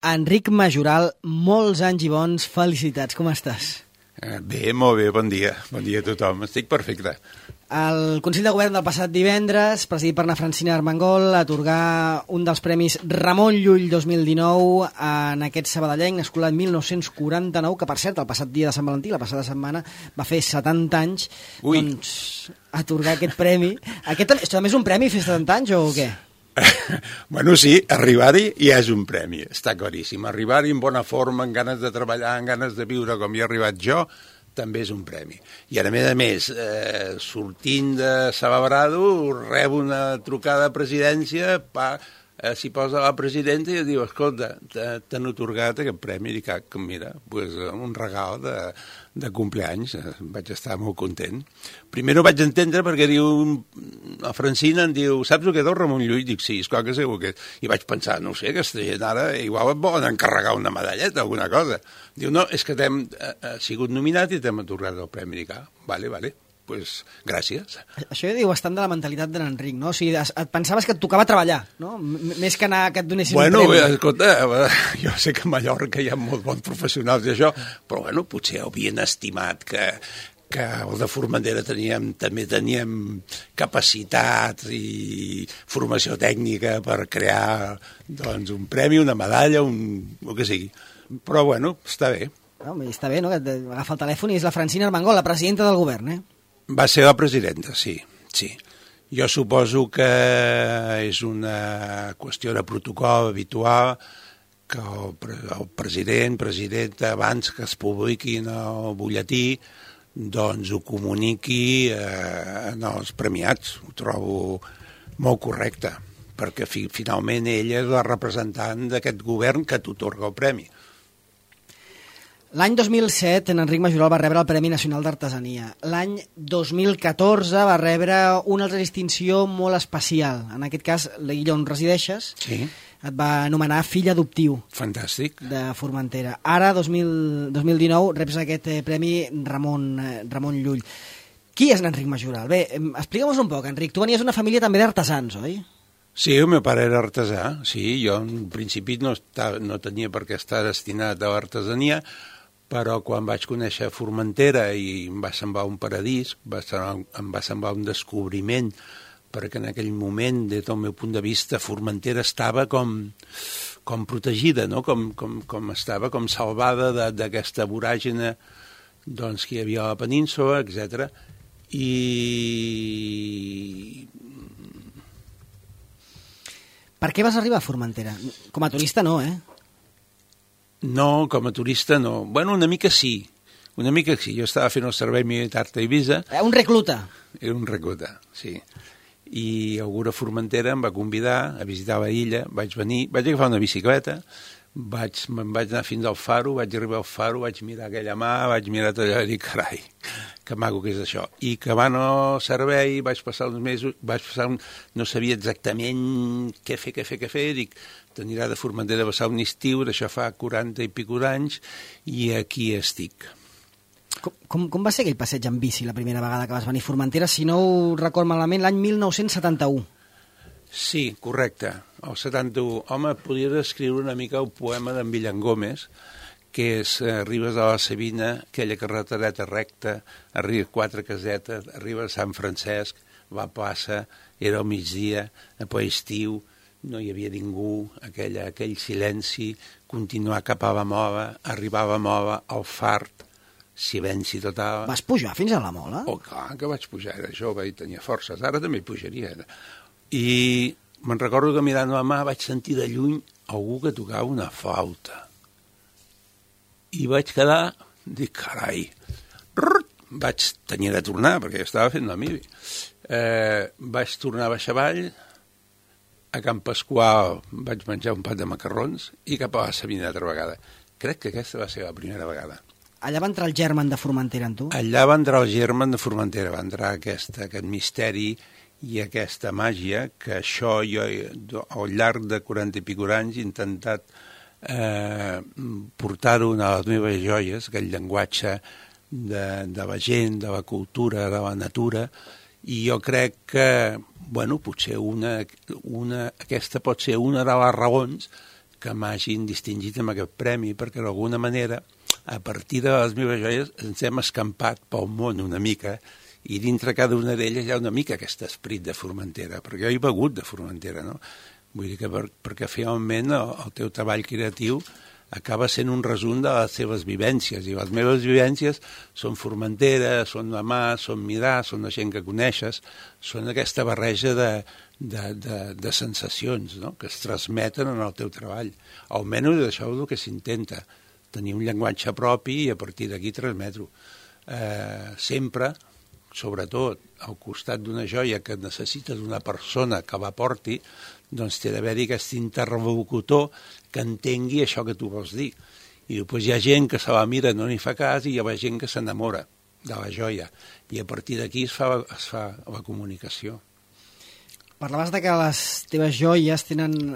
Enric Majoral, molts anys i bons, felicitats, com estàs? Bé, molt bé, bon dia. Bon dia a tothom, estic perfecte. El Consell de Govern del passat divendres, presidit per Francina Armengol, atorgar un dels premis Ramon Llull 2019 en aquest sabadellenc, nascut l'any 1949, que per cert, el passat dia de Sant Valentí, la passada setmana, va fer 70 anys. Ui. Doncs atorgar aquest premi. Aquest també és un premi fer 70 anys o què? Bueno, sí, arribar-hi ja és un premi, està claríssim. Arribar-hi en bona forma, amb ganes de treballar, amb ganes de viure com hi he arribat jo, també és un premi. I a més, sortint de Sababrado, rebo una trucada a presidència, s'hi posa la presidenta i diu, escolta, t'han atorgat aquest premi. I dic, mira, un regal de compleanys, vaig estar molt content. Primer no vaig entendre perquè diu, la Francina em diu, saps el que és el Ramon Llull? Dic, sí, esclar que sé el que és. I vaig pensar, no sé, aquesta gent ara igual et volen encarregar una medalleta, alguna cosa. Diu, no, és que t'hem sigut nominat i t'hem atorgat el premi. Dic, vale, pues gràcies. Això ja diu bastant de la mentalitat de l'Enric, no? O sigui, et pensaves que et tocava treballar, no? Més que anar que et donessin un premi. Bueno, escolta, jo sé que a Mallorca hi ha molt bons professionals i això, però bueno, potser havien estimat que el de Formentera també teníem capacitat i formació tècnica per crear doncs, un premi, una medalla, el que sigui. Però bueno, està bé. No, està bé, no? Que agafa el telèfon i és la Francina Armengol, la presidenta del govern, Va ser la presidenta, sí. Jo suposo que és una qüestió de protocol habitual que el presidenta, abans que es publiqui en el butlletí, doncs ho comuniqui als premiats. Ho trobo molt correcte, perquè finalment ella és la representant d'aquest govern que t'atorga el premi. L'any 2007, en Enric Majoral va rebre el Premi Nacional d'Artesania. L'any 2014 va rebre una altra distinció molt especial. En aquest cas, l'illa on resideixes, sí, et va anomenar fill adoptiu. Fantàstic. De Formentera. Ara, 2019, reps aquest Premi Ramon Llull. Qui és l'Enric Majoral? Bé, explica'm-nos un poc, Enric. Tu venies d'una família també d'artesans, oi? Sí, el meu pare era artesà, sí, jo en principi no tenia per què estar destinat a l'artesania, però quan vaig conèixer Formentera i em va semblar un paradís, em va semblar un descobriment, perquè en aquell moment, des del meu punt de vista, Formentera estava com protegida, no? com estava com salvada d'aquesta voràgine doncs, que hi havia a la península, etc. Per què vas arribar a Formentera? Com a turista no, No, com a turista no. Bueno, una mica sí. Jo estava fent el servei militar a Eivissa. Un recluta. Era un recluta, sí. I algú de Formentera em va convidar a visitar la illa, vaig agafar una bicicleta, me'n vaig anar fins al faro, vaig arribar al faro, vaig mirar aquella mà, vaig mirar tot allò i dic, carai, que maco que és això. I acabant el servei, vaig passar uns mesos, no sabia exactament què fer, dic, t'anirà de Formentera a passar un estiu, d'això fa 40 i pico d'anys, i aquí estic. Com va ser aquell passeig en bici la primera vegada que vas venir a Formentera, si no ho record malament, l'any 1971? Sí, correcte. El 71. Home, podria descriure una mica el poema d'en Villangómez, que és arribes a la Sabina, aquella carretereta recta, arribes 4 casetes, arribes a Sant Francesc, va a plaça, era al migdia, a ple estiu, no hi havia ningú, aquell silenci, continuar cap a la Mola, arribar a la Mola, al Fart, silenci total. Vas pujar fins a la Mola? Oh, clar que vaig pujar, era jove i tenia forces, ara també pujaria. I me'n recordo que mirant la mà vaig sentir de lluny algú que tocava una flauta. I vaig quedar, dic, carai, vaig tenir de tornar, perquè estava fent la mili. Vaig tornar a baixar avall, a Can Pasqual vaig menjar un pat de macarrons i cap a la Sabina altra vegada. Crec que aquesta va ser la primera vegada. Allà va entrar el germen de Formentera, en tu? Allà va entrar el germen de Formentera, va entrar aquest misteri i aquesta màgia que això jo al llarg de 40 i pico anys he intentat portar-ho a les meves joies, aquell llenguatge de la gent, de la cultura, de la natura, i jo crec que, bueno, potser aquesta pot ser una de les raons que m'hagin distingit amb aquest premi, perquè d'alguna manera, a partir de les meves joies, ens hem escampat pel món una mica, i dintre cada una d'elles hi ha una mica aquest esperit de Formentera, perquè jo he begut de Formentera, no? Vull dir que perquè finalment el teu treball creatiu acaba sent un resum de les seves vivències, i les meves vivències són Formentera, són la mà, són mirar, són la gent que coneixes, són aquesta barreja de sensacions, no?, que es transmeten en el teu treball. Almenys això és el que s'intenta, tenir un llenguatge propi i a partir d'aquí transmetre-ho. Sempre, sobretot, al costat d'una joia que necessita d'una persona que la porti, doncs té d'haver-hi aquest interlocutor que entengui això que tu vols dir. I després hi ha gent que se la mira, no n'hi fa cas, i hi ha gent que s'enamora de la joia. I a partir d'aquí es fa la comunicació. Parlaves de que les teves joies tenen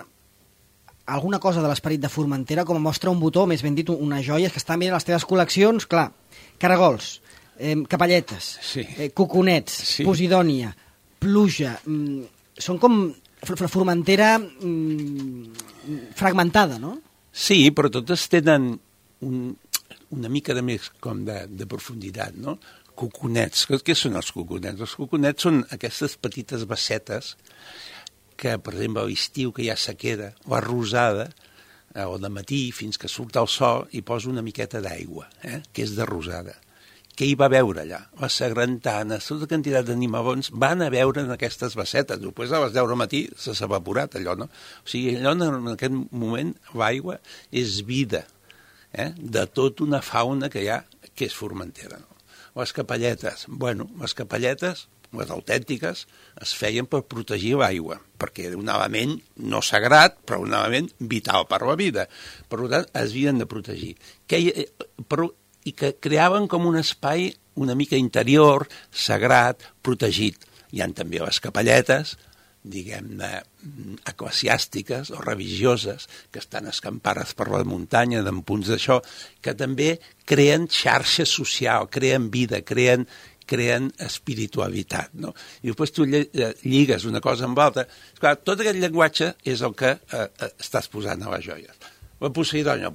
alguna cosa de l'esperit de Formentera, com a mostra un botó, més ben dit, unes joies que estan bé a les teves col·leccions, clar, caragols, capelletes, sí. Coconets, sí. Posidònia, pluja, són com Formentera fragmentada, no? Sí, però totes tenen una mica de més com de profunditat, no? Coconets. Què són els coconets? Els coconets són aquestes petites bassetes que, per exemple, a l'estiu que hi ha sequera, o rosada, o de matí fins que surt el sol, hi posa una miqueta d'aigua, que és de rosada. Què hi va veure allà? Les sagrantanes, tota quantitat d'animabons van a veure en aquestes bassetes. Després a les 10 del matí s'ha evaporat allò, no? O sigui, allò en aquest moment l'aigua és vida, de tota una fauna que hi ha, que és Formentera, no? Les capelletes, les capelletes, les autèntiques, es feien per protegir l'aigua, perquè era un element no sagrat, però un element vital per la vida. Per tant, es havien de protegir. I que creaven com un espai una mica interior, sagrat, protegit. Hi ha també les capelletes, diguem-ne, eclesiàstiques o religioses, que estan escampades per la muntanya, en punts d'això, que també creen xarxa social, creen vida, creen espiritualitat, no? I després tu lligues una cosa amb l'altra. Clar, tot aquest llenguatge és el que estàs posant a les joies. La Posidònia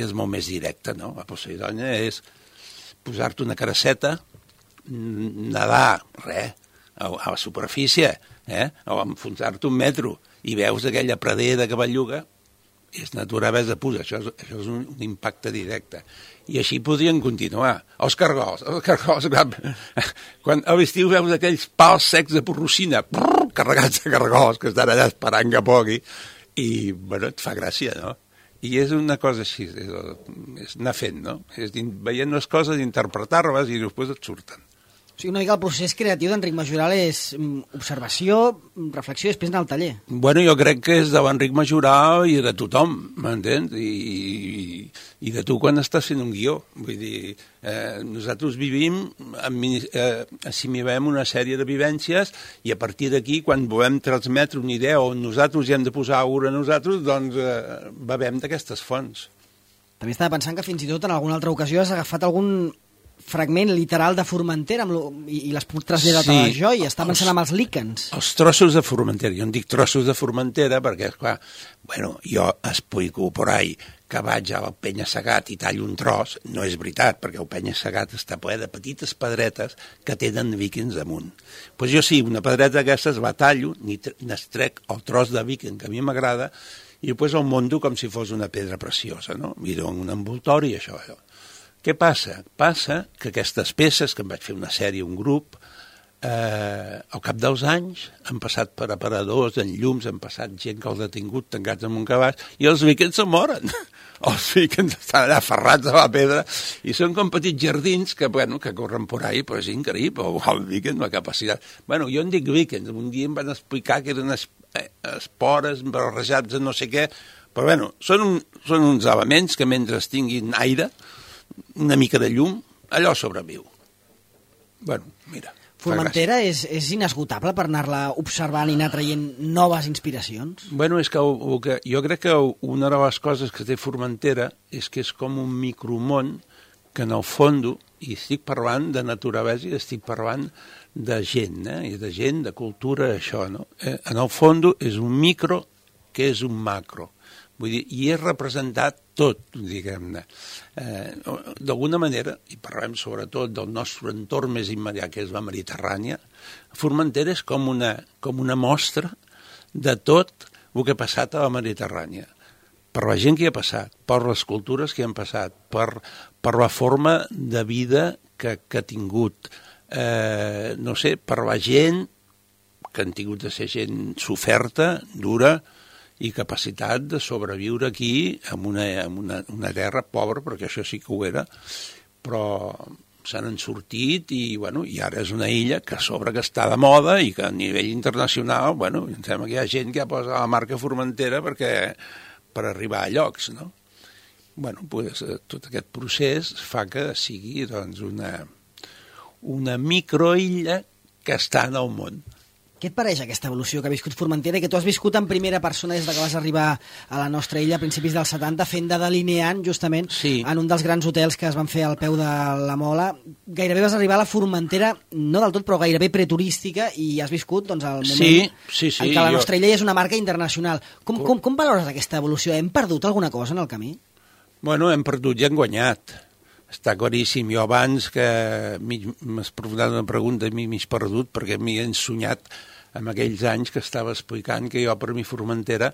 és molt més directa, no? La Posidònia és posar-te una caraceta, nedar, a la superfície, o enfonsar-te un metro, i veus aquella pradera que belluga, és naturalesa pura, això és un impacte directe. I així podrien continuar. Els cargols, quan a l'estiu veus aquells pals secs de porrocina, carregats de cargols, que estan allà esperant que pogui, i, et fa gràcia, no? I és una cosa així, és anar fent, no? És veient les coses, interpretar-les i després et surten. O sigui, una mica el procés creatiu d'Enric Majoral és observació, reflexió i després anar al taller. Jo crec que és de l'Enric Majoral i de tothom, m'entens? I de tu quan estàs fent un guió. Vull dir, nosaltres vivim, assimilem una sèrie de vivències i a partir d'aquí, quan volem transmetre una idea on nosaltres hi hem de posar alguna nosaltres, doncs bevem d'aquestes fonts. També estava pensant que fins i tot en alguna altra ocasió has agafat algun fragment literal de Formentera i l'has traslladat a la joia. Està pensant amb els líquens. Els trossos de Formentera. Jo en dic trossos de Formentera perquè, clar, jo explico por ahí que vaig al penya-segat i tallo un tros. No és veritat, perquè el penya-segat està ple de petites pedretes que tenen víquens amunt. Doncs jo sí, una pedreta d'aquestes la tallo, n'estrec el tros de víquen que a mi m'agrada i després el mondo com si fos una pedra preciosa, no? I dono un envoltori i això. Què passa? Passa que aquestes peces, que em vaig fer una sèrie, un grup, al cap dels anys han passat per aparadors, en llums, han passat gent que els ha tingut tancats en un cabàs i els víquens se moren. Els víquens estan allà aferrats a la pedra i són com petits jardins que corren por ahí, però és increïble, el víquens, la capacitat. Jo en dic víquens, un dia em van explicar que eren espores barrejats en no sé què, però són uns elements que mentre tinguin aire, una mica de llum, allò sobreviu. Mira. Formentera és inesgotable per anar-la observant i anar traient noves inspiracions? És que jo crec que una de les coses que té Formentera és que és com un micromón que en el fons, i estic parlant de naturalesa i estic parlant de gent, i de gent, de cultura, això, no? En el fons és un micro que és un macro. Vull dir, i és representat tot, diguem-ne. D'alguna manera, i parlem sobretot del nostre entorn més immediat, que és la Mediterrània, Formentera és com una mostra de tot el que ha passat a la Mediterrània. Per la gent que hi ha passat, per les cultures que hi han passat, per la forma de vida que ha tingut, no sé, per la gent que han tingut de ser gent soferta, dura, i capacitat de sobreviure aquí en una terra pobra, perquè això sí que ho era, però se n'han sortit i ara és una illa que a sobre que està de moda i que a nivell internacional, em sembla que hi ha gent que ha posat la marca Formentera per arribar a llocs, no? Tot aquest procés fa que sigui una microilla que està en el món. Què et pareix aquesta evolució que ha viscut Formentera i que tu has viscut en primera persona des que vas arribar a la nostra illa a principis dels 70, fent de delineant justament en un dels grans hotels que es van fer al peu de la Mola? Gairebé vas arribar a la Formentera, no del tot, però gairebé preturística, i has viscut el moment en què la nostra illa és una marca internacional. Com valores aquesta evolució? Hem perdut alguna cosa en el camí? Hem perdut i hem guanyat. Està claríssim. Jo abans que m'has preguntat una pregunta i m'he perdut perquè m'hi he ensenyat en aquells anys que estava explicant que jo per mi Formentera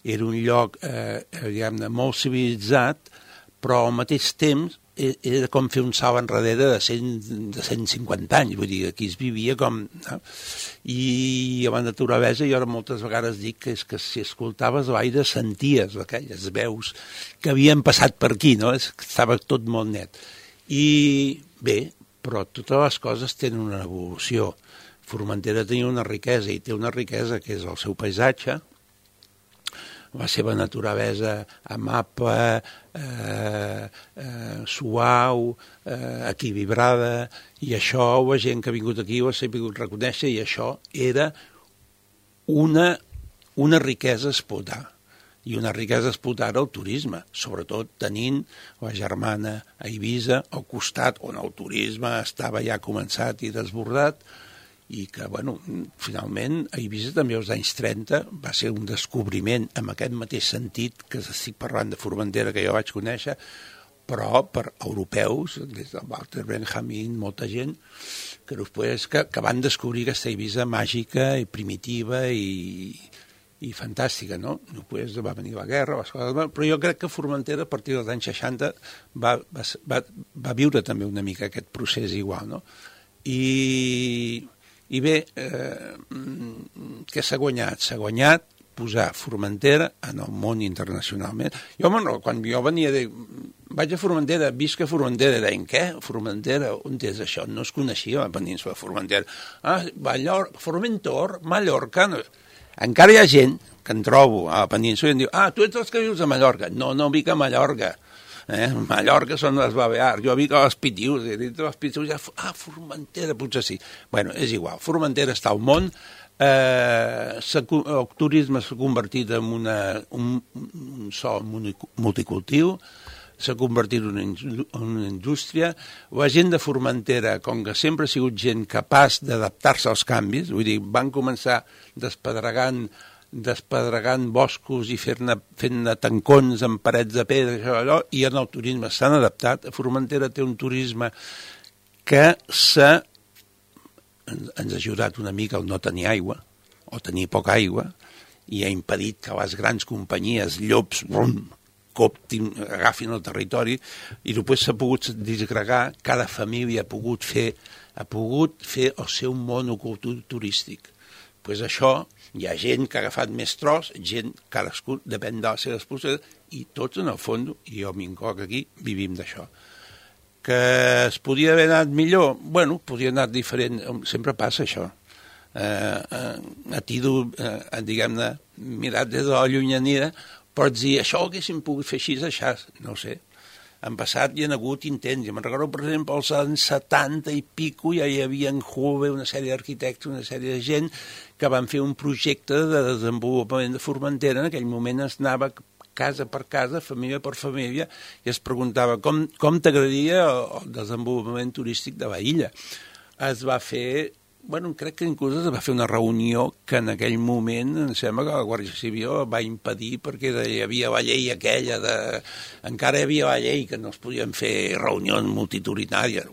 era un lloc diguem-ne molt civilitzat, però al mateix temps era com fer un salt enrere de 150 anys, vull dir, aquí es vivia com... No? I abans de Torabesa jo moltes vegades dic que és que si escoltaves l'aire senties aquelles veus que havien passat per aquí, no? Estava tot molt net. I bé, però totes les coses tenen una evolució. Formentera tenia una riquesa, i té una riquesa que és el seu paisatge, la seva naturalesa amable, suau, equilibrada, i això la gent que ha vingut aquí ho ha sabut reconèixer, i això era una riquesa a explotar. I una riquesa a explotar el turisme, sobretot tenint la germana a Eivissa al costat, on el turisme estava ja començat i desbordat, i que, finalment, a Eivissa també als anys 30 va ser un descobriment en aquest mateix sentit que estic parlant de Formentera, que jo vaig conèixer, però per europeus, des del Walter Benjamin, molta gent, que van descobrir aquesta Eivissa màgica i primitiva i fantàstica, no? Després va venir la guerra, les coses, però jo crec que Formentera, a partir dels anys 60, va viure també una mica aquest procés igual, no? I bé, què s'ha guanyat? S'ha guanyat posar Formentera en el món internacionalment. Jo, quan jo venia vaig a Formentera, visc a Formentera, deien, què? Formentera, on és això? No es coneixia la península de Formentera. Formentor, Mallorca... Encara hi ha gent que en trobo a la península i em diu, tu ets els que vius a Mallorca. No vic a Mallorca. Mallorca són les Balears, jo vic a les Pitius, i dintre les Pitius Formentera, potser sí. És igual, Formentera està al món, el turisme s'ha convertit en un sol multicultiu, s'ha convertit en una indústria. La gent de Formentera, com que sempre ha sigut gent capaç d'adaptar-se als canvis, vull dir, van començar despedregant boscos i fent-ne tancons amb parets de pedra, i en el turisme s'han adaptat. Formentera té un turisme que ens ha ajudat una mica al no tenir aigua, o tenir poca aigua, i ha impedit que les grans companyies, llops, agafin el territori, i després s'ha pogut disgregar, cada família ha pogut fer el seu monocultiu turístic. Això, hi ha gent que ha agafat més tros, gent, cadascú, depèn de les seves possibilitats, i tots, en el fons, i jo m'incloc aquí, vivim d'això. Que es podia haver anat millor? Podia anar diferent, sempre passa això. A ti, diguem-ne, mirat des de la llunyania, pots dir, això ho haguéssim pogut fer així, no ho sé. En passat hi ha hagut intents. Me'n recordo, per exemple, als anys 70 i pico ja hi havia en Juve una sèrie d'arquitectes, una sèrie de gent que van fer un projecte de desenvolupament de Formentera. En aquell moment es anava casa per casa, família per família, i es preguntava com t'agradaria el desenvolupament turístic de la illa. Es va fer crec que inclús es va fer una reunió que en aquell moment em sembla que la Guàrdia Civil va impedir perquè hi havia la llei aquella encara hi havia la llei que no es podien fer reunions multitudinàries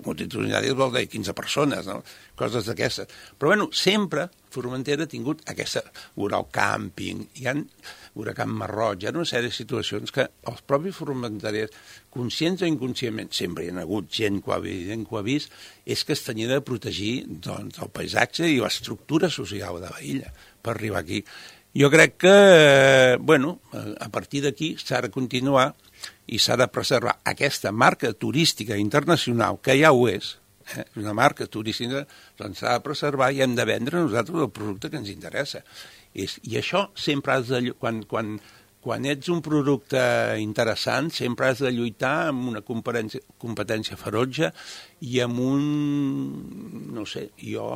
vol dir 15 persones, no? Coses d'aquestes. Però sempre Formentera ha tingut aquesta Urau Càmping, Huracán Marroig, hi ha una sèrie de situacions que els propis formenterers, conscients o inconscientment, sempre hi ha hagut gent que ho ha vist, és que es tenia de protegir doncs, el paisatge i l'estructura social de l'illa per arribar aquí. Jo crec que, a partir d'aquí s'ha de continuar i s'ha de preservar aquesta marca turística internacional, que ja ho és, una marca turística, doncs s'ha de preservar i hem de vendre nosaltres el producte que ens interessa. I això sempre has de... Quan ets un producte interessant, sempre has de lluitar amb una competència ferotge i amb un... No sé, jo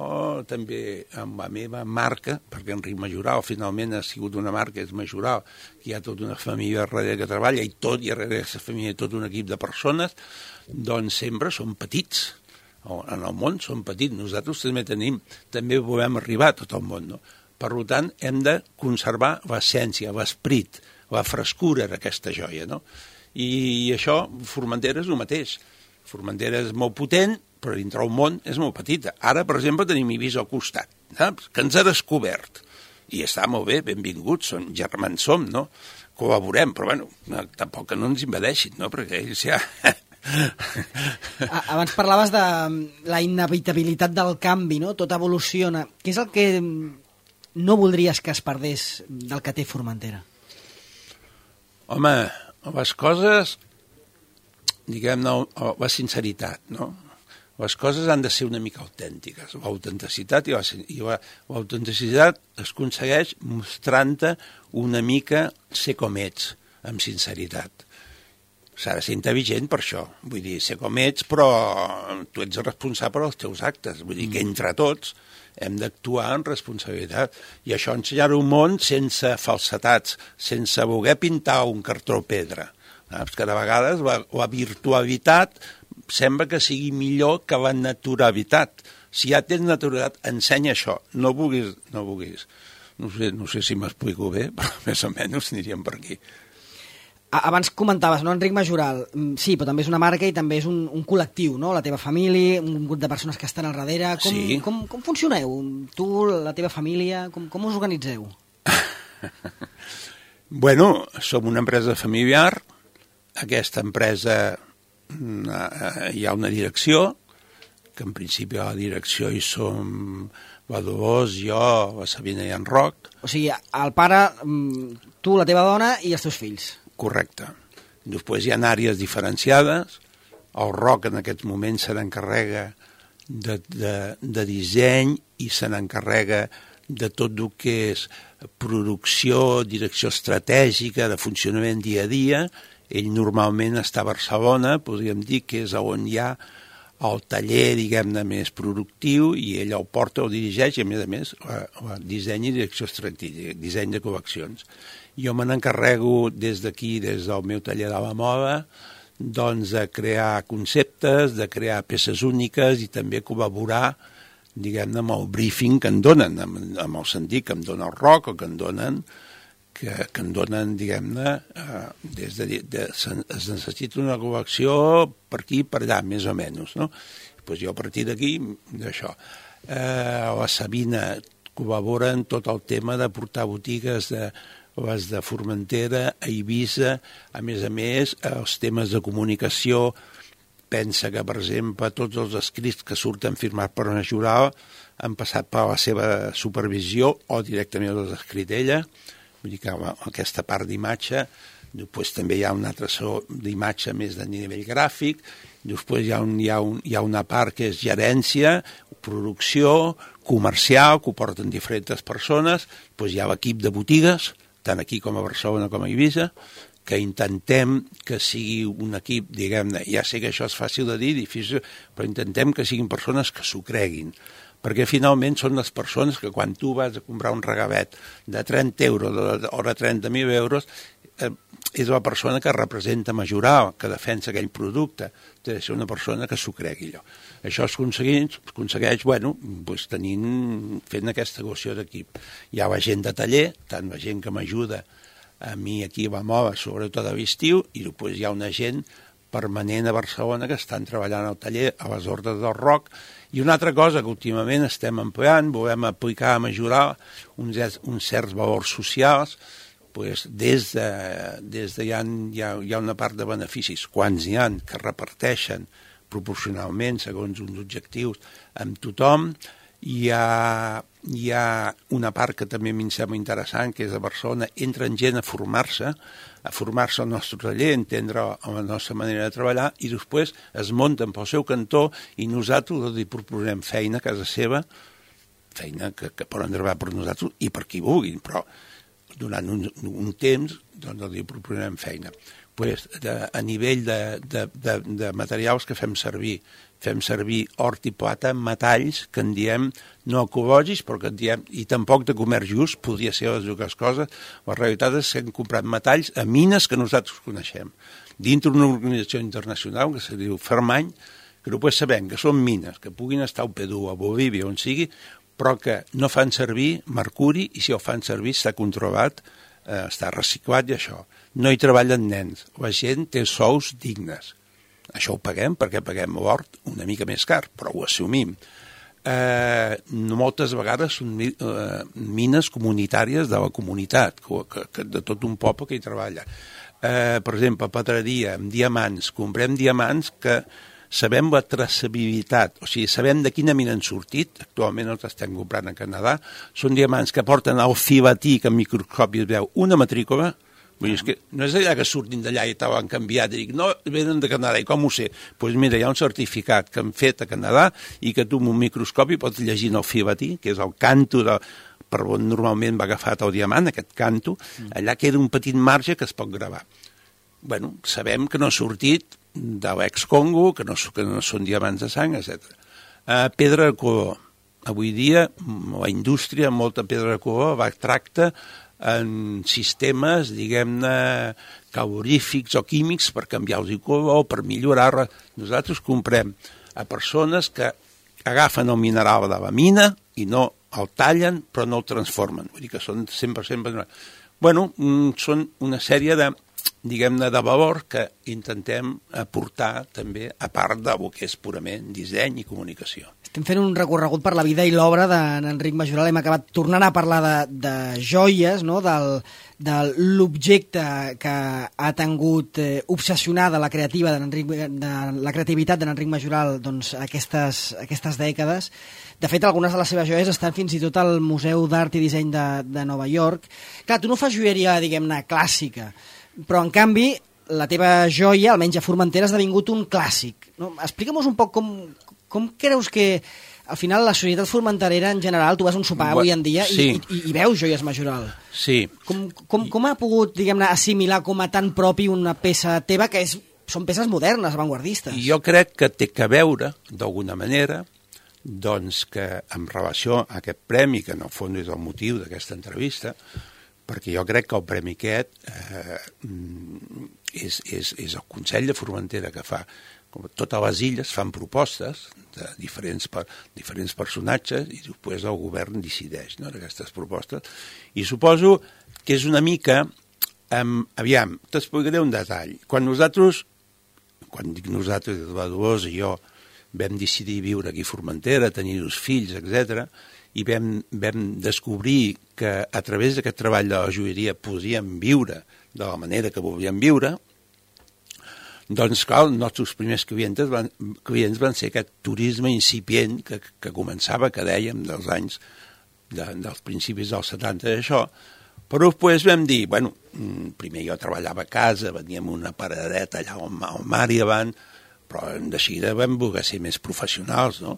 també amb la meva marca, perquè Enric Majoral finalment ha sigut una marca, és Majoral, que hi ha tota una família darrere que treballa i darrere d'aquesta família tot un equip de persones, doncs sempre són petits. En el món són petits, nosaltres també volem arribar a tot el món, no? Per tant, hem de conservar l'essència, l'esperit, la frescura d'aquesta joia, no? I això, Formentera és el mateix. Formentera és molt potent, però dintre el món és molt petita. Ara, per exemple, tenim Eivissa al costat, saps? Que ens ha descobert. I està molt bé, benvinguts, germans som, no? Col·laborem, però tampoc que no ens invadeixin, no? Perquè ells ja... Abans parlaves de la inevitabilitat del canvi, no? Tot evoluciona. Què és el que no voldries que es perdés del que té Formentera? Home, les coses, diguem-ne, la sinceritat, no? Les coses han de ser una mica autèntiques. L'autenticitat i l'autenticitat es aconsegueix mostrant-te una mica ser com ets, amb sinceritat. S'ha de ser intel·ligent per això. Vull dir, ser com ets, però tu ets responsable dels teus actes. Vull dir que entre tots hem d'actuar en responsabilitat. I això ensenyar un món sense falsetats, sense voler pintar un cartró pedra. Saps que de vegades la virtualitat sembla que sigui millor que la naturalitat. Si ja tens naturalitat, ensenya això. No vulguis. No sé si m'explico bé, però més o menys aniríem per aquí. Abans comentaves, no, Enric Majoral, sí, però també és una marca i també és un col·lectiu, no? La teva família, un grup de persones que estan al darrere. Com funcioneu? Tu, la teva família, com us organitzeu? Som una empresa familiar. Aquesta empresa hi ha una direcció, que en principi a la direcció hi som la Dolors, jo, la Sabina i en Roc. O sigui, el pare, tu, la teva dona i els teus fills. Correcte. Després hi ha àrees diferenciades. El Roc en aquests moments se n'encarrega de disseny i se n'encarrega de tot el que és producció, direcció estratègica, de funcionament dia a dia. Ell normalment està a Barcelona, podríem dir que és on hi ha el taller, diguem-ne, més productiu, i ell el porta, el dirigeix, i a més, disseny i direcció estratègica, disseny de col·leccions. Jo me n'encarrego des d'aquí, des del meu taller de la moda, doncs de crear conceptes, de crear peces úniques i també col·laborar, diguem-ne, amb el briefing que em donen, amb el sentit que em dona el Roc o que em donen, diguem-ne, es necessita una col·lecció per aquí i per allà, més o menys, no? Doncs jo a partir d'aquí, d'això. La Sabina col·labora en tot el tema de portar botigues les de Formentera, a Eivissa, a més, els temes de comunicació. Pensa que, per exemple, tots els escrits que surten firmats per una jural han passat per la seva supervisió o directament els ha escrit ella. Vull dir que aquesta part d'imatge, després també hi ha una altra d'imatge més de nivell gràfic, després hi ha una part que és gerència, producció, comercial, que ho porten diferents persones, després hi ha l'equip de botigues, tant aquí com a Barcelona com a Eivissa, que intentem que sigui un equip, diguem-ne, ja sé que això és fàcil de dir, difícil, però intentem que siguin persones que s'ho creguin, perquè finalment són les persones que quan tu vas a comprar un regavet de 30 euros o de 30.000 euros, és la persona que representa majorar, que defensa aquell producte, té de ser una persona que s'ho cregui allò. Això es aconsegueix fent aquesta equació d'equip. Hi ha la gent de taller, tant la gent que m'ajuda a mi aquí a la MOVA, sobretot a l'estiu, i després hi ha una gent permanent a Barcelona que estan treballant al taller a les Hordes del Roc. I una altra cosa que últimament estem empleant, volem aplicar a majorar uns certs valors socials, des de hi ha una part de beneficis, quants hi ha, que reparteixen proporcionalment segons uns objectius amb tothom. Hi ha una part que també em sembla interessant, que és a Barcelona, entren gent a formar-se al nostre taller, entendre la nostra manera de treballar, i després es munten pel seu cantó i nosaltres els proposem feina a casa seva, feina que poden treballar per nosaltres i per qui vulguin, però durant un temps doncs els proposem feina. A nivell de materials que fem servir hort i plata, metalls que en diem no ecològics, però que en diem, i tampoc de comerç just, podria ser les dues coses. La realitat és que hem comprat metalls a mines que nosaltres coneixem, dintre d'una organització internacional que se diu Fermany, que després sabem que són mines, que puguin estar al Perú, a Bolívia, on sigui, però que no fan servir mercuri, i si ho fan servir està controlat, està reciclat i això. No hi treballen nens, la gent té sous dignes. Això ho paguem perquè paguem l'hort una mica més car, però ho assumim. Moltes vegades són mines comunitàries de la comunitat, de tot un poble que hi treballa. Per exemple, pedreria, amb diamants, comprem diamants que sabem la traçabilitat, o sigui, sabem de quina mina han sortit, actualment els estem comprant a Canadà, són diamants que porten al filatí, que en microscopi es veu una matrícula. Vull dir, és que no és allà que surtin d'allà i t'ho canviat i dic, no, venen de Canadà, i com ho sé? Doncs mira, hi ha un certificat que han fet a Canadà i que tu amb un microscopi pots llegir en el filatí, que és el canto per on normalment va agafat el diamant, aquest canto, allà queda un petit marge que es pot gravar. Bueno, sabem que no ha sortit de l'ex-Congo, que no són diamants de sang, etc. Pedra de color. Avui dia la indústria, molta pedra de color, va tractar en sistemes, diguem-ne, calorífics o químics per canviar-los el color, per millorar-la. Nosaltres comprem a persones que agafen el mineral de la mina i no el tallen, però no el transformen. Vull dir que són 100%... Bueno, són una sèrie de, diguem-ne, de valor que intentem aportar també, a part del que és purament disseny i comunicació. Estem fent un recorregut per la vida i l'obra d'Enric Majoral. Hem acabat tornant a parlar de joies, no? de l'objecte que ha tingut obsessionada la creativitat d'Enric Majoral doncs, aquestes dècades. De fet, algunes de les seves joies estan fins i tot al Museu d'Art i Disseny de Nova York. Clar, tu no fas joieria, diguem-ne, clàssica, però en canvi la teva joia, almenys a Formentera, ha esdevingut un clàssic. No? Explica'm un poc com creus que al final la societat formenterera en general, tu vas a un sopar avui en dia i veus joies Majoral. Sí. Com ha pogut, diguem-ne, assimilar com a tan propi una peça teva que són peces modernes, avantguardistes? Jo crec que té que veure, d'alguna manera, doncs que en relació a aquest premi, que en el fons és el motiu d'aquesta entrevista, perquè jo crec que el premi aquest és el Consell de Formentera que fa. Totes les illes fan propostes de diferents personatges i després el govern decideix, no, d'aquestes propostes. I suposo que és una mica... Aviam, t'explicaré un detall. Quan dic nosaltres, la Dolors i jo vam decidir viure aquí a Formentera, tenir dos fills, etc., i vam descobrir que a través d'aquest treball de la joieria podíem viure de la manera que volíem viure, doncs, clar, els nostres primers clients van ser aquest turisme incipient que començava, que dèiem, dels anys, dels principis dels 70 d'això, però després vam dir, bueno, primer jo treballava a casa, veníem una paradeta allà al mar i davant, però de seguida vam voler ser més professionals, no?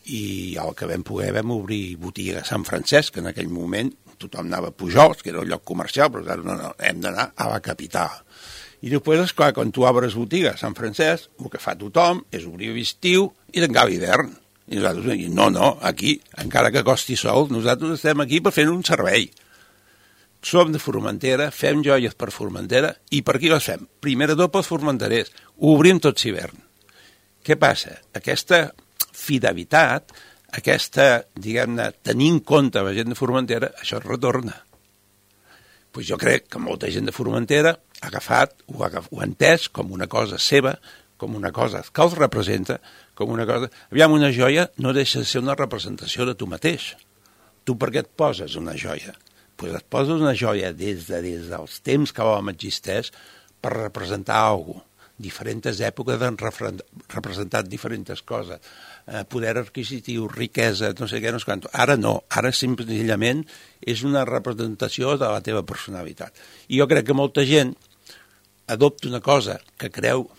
I el que vam poder vam obrir botiga a Sant Francesc, que en aquell moment tothom anava a Pujols, que era un lloc comercial, però ara no, hem d'anar a la capital. I després, esclar, quan tu obres botiga a Sant Francesc, el que fa tothom és obrir l'estiu i tancar l'hivern. I nosaltres diem, no, aquí, encara que costi sol, nosaltres estem aquí per fer un servei. Som de Formentera, fem joies per Formentera, i per qui les fem? Primer de tot pels formenterers. Ho obrim tot l'hivern. Què passa? Aquesta fidelitat, aquesta, diguem-ne, tenir en compte la gent de Formentera, això es retorna. Pues jo crec que molta gent de Formentera ha agafat, ho ha entès com una cosa seva, com una cosa que els representa, com una cosa... Aviam, una joia no deixa de ser una representació de tu mateix. Tu per què et poses una joia? Pues et poses una joia des dels temps que l'home existeix per representar alguna cosa. Diferents èpoques han representat diferents coses. Poder adquisitiu, riquesa, no sé què, no sé quant. Ara no, ara senzillament és una representació de la teva personalitat. I jo crec que molta gent adopta una cosa que creu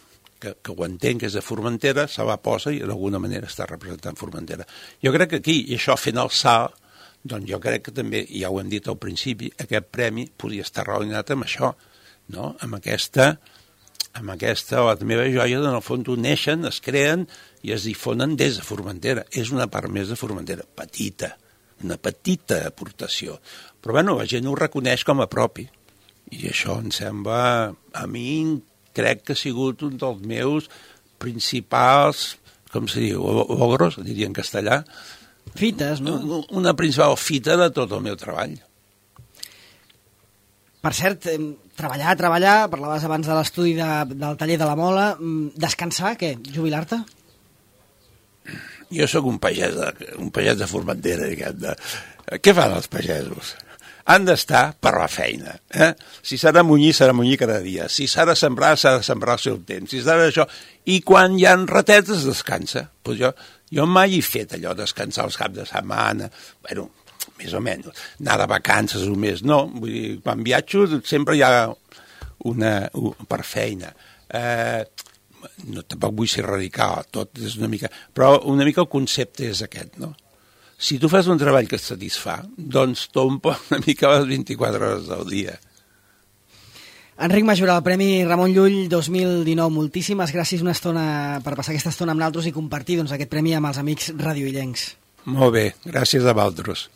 que ho entén, que és de Formentera, se la posa i d'alguna manera està representant Formentera. Jo crec que aquí, i això fent el salt, doncs jo crec que també, ja ho hem dit al principi, aquest premi podria estar relacionat amb això, no? Amb aquesta, les meves joies, en el fons, neixen, es creen i es difonen des de Formentera. És una part més de Formentera, petita, una petita aportació. Però, bueno, la gent ho reconeix com a propi. I això em sembla, a mi, crec que ha sigut un dels meus principals, com se diu, logros, diria en castellà. Fites, no? Una principal fita de tot el meu treball. Per cert, treballar, parlaves abans de l'estudi del taller de la Mola, descansar, què? Jubilar-te? Jo sóc un pagès de Formentera, diguem-ne. Què fan els pagesos? Han d'estar per la feina. Si s'ha de munyir cada dia. Si s'ha de sembrar al seu temps. Si s'ha d'això... I quan hi ha ratetes, descansa. Pues jo mai he fet allò, descansar els caps de setmana. Bueno, més o menys. Anar de vacances un mes, no. Vull dir, quan viatjo sempre hi ha per feina. No, tampoc vull ser radical, tot és una mica... Però una mica el concepte és aquest, no? Si tu fas un treball que et satisfà, doncs t'omple una mica les 24 hores del dia. Enric Majoral, Premi Ramon Llull 2019. Moltíssimes gràcies una estona per passar aquesta estona amb nosaltres i compartir aquest premi amb els amics radioillencs. Molt bé, gràcies a vosaltres.